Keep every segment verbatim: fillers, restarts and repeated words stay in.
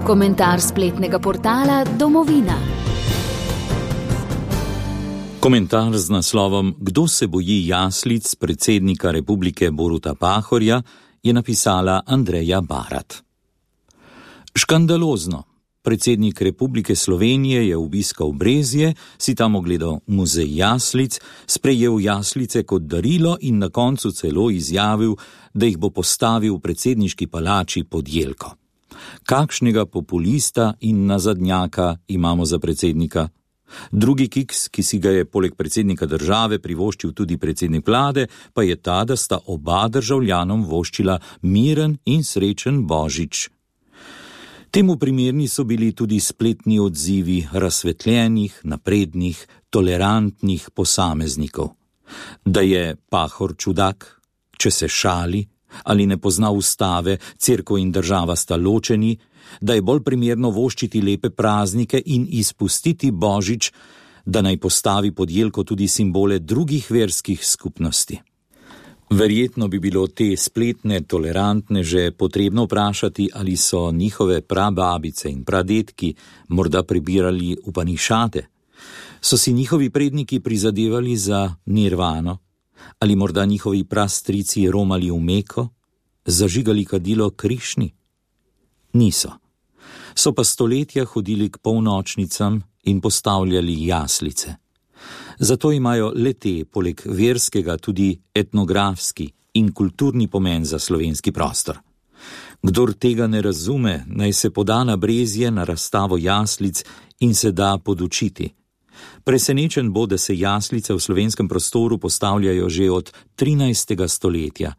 Komentar spletnega portala Domovina. Komentar z naslovom Kdo se boji jaslic predsednika Republike Boruta Pahorja je napisala Andreja Barat. Škandalozno. Predsednik Republike Slovenije je obiskal Brezje, si tam ogledal muzej jaslic, sprejel jaslice kot darilo in na koncu celo izjavil, da jih bo postavil v predsedniški palači pod jelko. Kakšnega populista in nazadnjaka imamo za predsednika? Drugi kiks, ki si ga je poleg predsednika države privoščil tudi predsednik vlade, pa je ta, da sta oba državljanom voščila miren in srečen Božič. Temu primerni so bili tudi spletni odzivi razsvetljenih, naprednih, tolerantnih posameznikov. Da je Pahor čudak, če se šali, ali ne pozna ustave, cerkev in država sta ločeni, da je bolj primerno voščiti lepe praznike in izpustiti Božič, da naj postavi pod jelko tudi simbole drugih verskih skupnosti. Verjetno bi bilo te spletne tolerantne že potrebno vprašati, ali so njihove prababice in pradedki morda prebirali Upanišade. So si njihovi predniki prizadevali za nirvano, ali morda njihovi prastrici romali v Meko, zažigali kadilo Krišni? Niso. So pa stoletja hodili k polnočnicam in postavljali jaslice. Zato imajo le te, poleg verskega, tudi etnografski in kulturni pomen za slovenski prostor. Kdor tega ne razume, naj se poda na Brezje na razstavo jaslic in se da podučiti. Presenečen bo, da se jaslice v slovenskem prostoru postavljajo že od trinajstega stoletja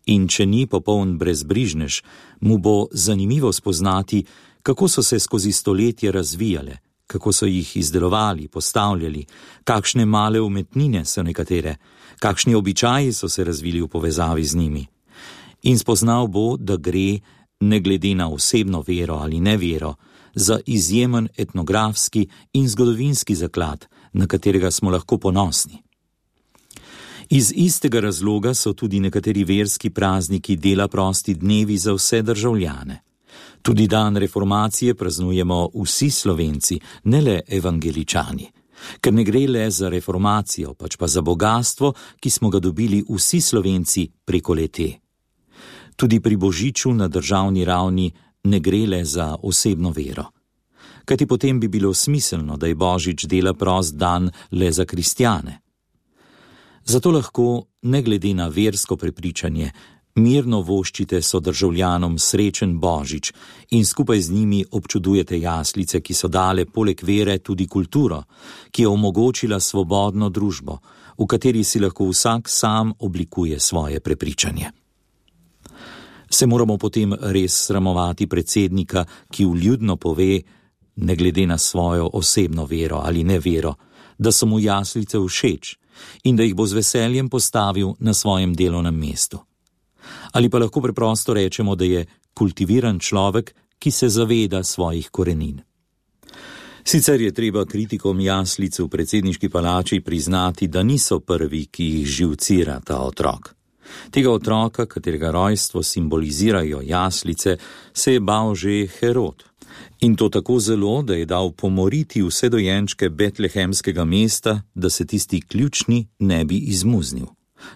in če ni popoln brezbrižnež, mu bo zanimivo spoznati, kako so se skozi stoletje razvijale, kako so jih izdelovali, postavljali, kakšne male umetnine so nekatere, kakšni običaji so se razvili v povezavi z njimi. In spoznal bo, da gre, ne glede na osebno vero ali nevero, za izjemen etnografski in zgodovinski zaklad, na katerega smo lahko ponosni. Iz istega razloga so tudi nekateri verski prazniki dela prosti dnevi za vse državljane. Tudi dan reformacije praznujemo vsi Slovenci, ne le evangeličani, ker ne gre le za reformacijo, pač pa za bogastvo, ki smo ga dobili vsi Slovenci preko le-te. Tudi pri Božiču na državni ravni ne gre le za osebno vero. Kajti potem bi bilo smiselno, da je Božič dela prost dan le za kristjane. Zato lahko, ne glede na versko prepričanje, mirno voščite sodržavljanom srečen Božič in skupaj z njimi občudujete jaslice, ki so dale poleg vere tudi kulturo, ki je omogočila svobodno družbo, v kateri si lahko vsak sam oblikuje svoje prepričanje. Se moramo potem res sramovati predsednika, ki vljudno pove, ne glede na svojo osebno vero ali nevero, da so mu jaslice všeč in da jih bo z veseljem postavil na svojem delovnem mestu. Ali pa lahko preprosto rečemo, da je kultiviran človek, ki se zaveda svojih korenin. Sicer je treba kritikom jaslic v predsedniški palači priznati, da niso prvi, ki jih živcira ta otrok. Tega otroka, katerega rojstvo simbolizirajo jaslice, se je bal že Herod. In to tako zelo, da je dal pomoriti vse dojenčke betlehemskega mesta, da se tisti ključni ne bi izmuznil.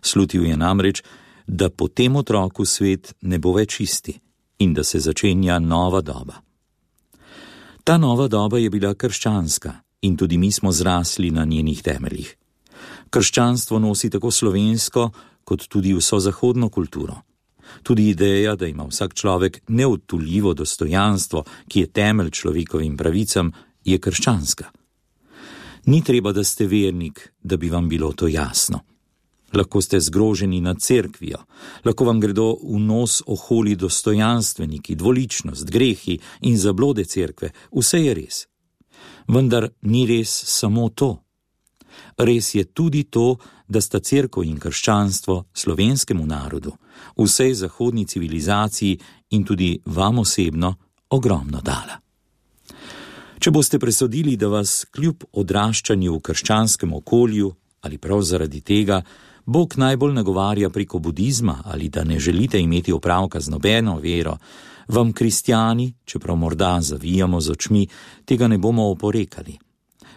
Slutil je namreč, da po tem otroku svet ne bo več isti in da se začenja nova doba. Ta nova doba je bila krščanska in tudi mi smo zrasli na njenih temeljih. Krščanstvo nosi tako slovensko, kot tudi vso zahodno kulturo. Tudi ideja, da ima vsak človek neodtuljivo dostojanstvo, ki je temelj človekovim pravicam, je krščanska. Ni treba, da ste vernik, da bi vam bilo to jasno. Lahko ste zgroženi nad cerkvijo, lahko vam gredo v nos oholi dostojanstveniki, dvoličnost, grehi in zablode cerkve, vse je res. Vendar ni res samo to. Res je tudi to, da sta cerkev in krščanstvo slovenskemu narodu, vsej zahodni civilizaciji in tudi vam osebno ogromno dala. Če boste presodili, da vas kljub odraščanju v krščanskem okolju ali prav zaradi tega Bog najbolj nagovarja preko budizma ali da ne želite imeti opravka z nobeno vero, Vam, kristjani, čeprav morda zavijamo z očmi, tega ne bomo oporekali.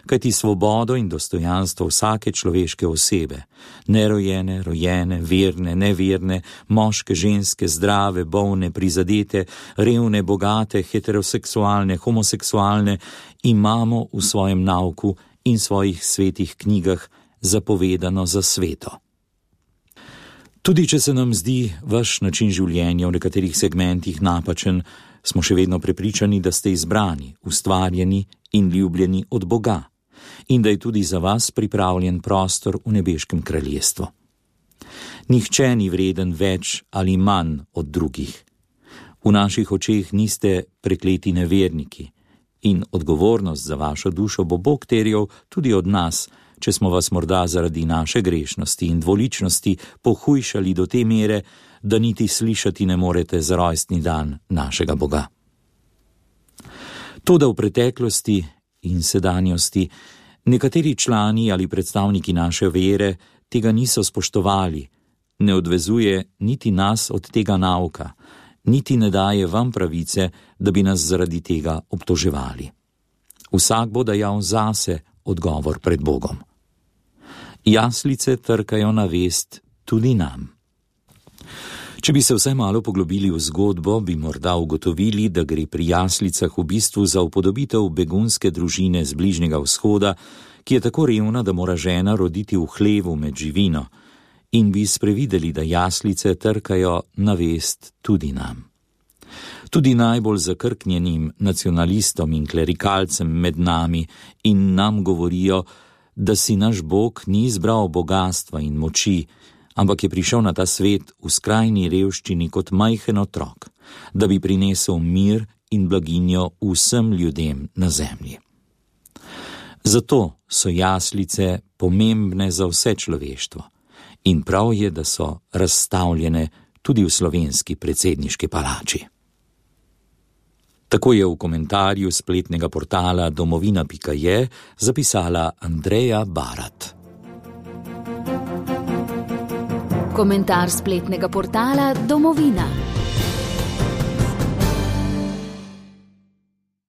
Kajti svobodo in dostojanstvo vsake človeške osebe, nerojene, rojene, verne, neverne, moške, ženske, zdrave, bolne, prizadete, revne, bogate, heteroseksualne, homoseksualne, imamo v svojem nauku in svojih svetih knjigah zapovedano za sveto. Tudi če se nam zdi vaš način življenja v nekaterih segmentih napačen, smo še vedno prepričani, da ste izbrani, ustvarjeni in ljubljeni od Boga in da je tudi za vas pripravljen prostor v nebeškem kraljestvu. Nihče ni vreden več ali manj od drugih. V naših očeh niste prekleti neverniki in odgovornost za vašo dušo bo Bog terjal tudi od nas, če smo vas morda zaradi naše grešnosti in dvoličnosti pohujšali do te mere, da niti slišati ne morete za rojstni dan našega Boga. Toda v preteklosti in sedanjosti nekateri člani ali predstavniki naše vere tega niso spoštovali, ne odvezuje niti nas od tega nauka, niti ne daje vam pravice, da bi nas zaradi tega obtoževali. Vsak bo dajal zase odgovor pred Bogom. Jaslice trkajo na vest tudi nam. Če bi se vsaj malo poglobili v zgodbo, bi morda ugotovili, da gre pri jaslicah v bistvu za upodobitev begunske družine z Bližnjega vzhoda, ki je tako revna, da mora žena roditi v hlevu med živino, in bi sprevideli, da jaslice trkajo na vest tudi nam. Tudi najbolj zakrknjenim nacionalistom in klerikalcem med nami in nam govorijo, da si naš Bog ni izbral bogastva in moči, ampak je prišel na ta svet v skrajni revščini kot majhen otrok, da bi prinesel mir in blaginjo vsem ljudem na zemlji. Zato so jaslice pomembne za vse človeštvo in prav je, da so razstavljene tudi v slovenski predsedniški palači. Tako je v komentarju spletnega portala domovina pika je zapisala Andreja Barat. Komentar spletnega portala Domovina.